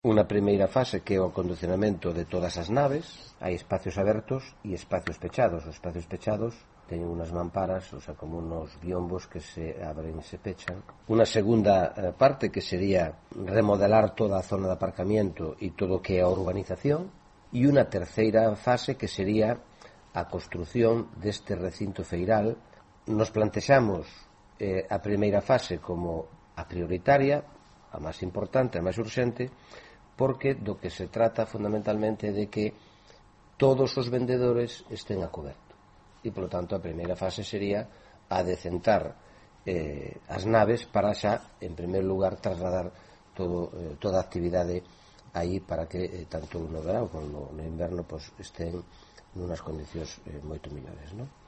unha primeira fase que é o acondicionamento de todas as naves. Hai espacios abertos e espacios pechados. Os espacios pechados teñen unhas mamparas, o sea, como unos biombos que se abren e se pechan. Unha segunda parte que sería remodelar toda a zona de aparcamiento e todo o que é a urbanización, e unha terceira fase que sería a construción deste recinto feiral. Nos plantexamos a primeira fase como a prioritaria, a máis importante, a máis urxente, porque do que se trata fundamentalmente é de que todos os vendedores estén a coberto. E, polo tanto, a primeira fase sería a decentar as naves para xa, en primeiro lugar, trasladar toda a actividade aí para que tanto no verán como no inverno estén nunas condicións moito mellores, non?